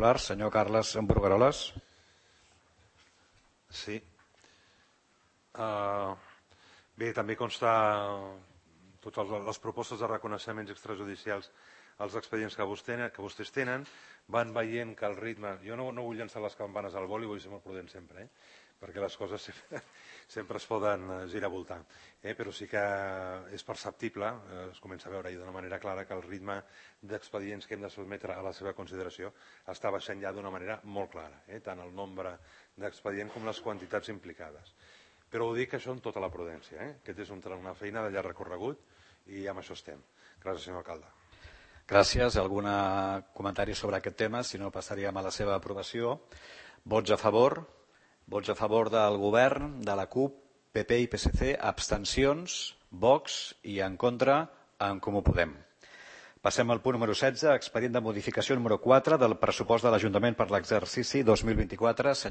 Popular, senyor Carles Brugueroles. Sí. Bé, també consta totes les propostes de reconeixements extrajudicials als expedients que vostès tenen, van veient que el ritme... Jo no vull llançar les campanes al vol i vull ser molt prudent sempre, perquè les coses sempre es poden girar a voltar. Però sí que és perceptible, es comença a veure d'una manera clara que el ritme d'expedients que hem de sotmetre a la seva consideració està baixant ja d'una manera molt clara, tant el nombre d'expedients com les quantitats implicades. Però ho dic això amb tota la prudència. Aquest és una feina de llarg recorregut i amb això estem. Gràcies, senyor alcalde. Gràcies. Algun comentari sobre aquest tema? Si no, passaríem a la seva aprovació. Vots a favor? Vots a favor del govern, de la CUP, PP i PSC, abstencions, Vox i en contra en Comú Podem. Passem al punt número 16, expedient de modificació número 4 del pressupost de l'Ajuntament per l'exercici 2024.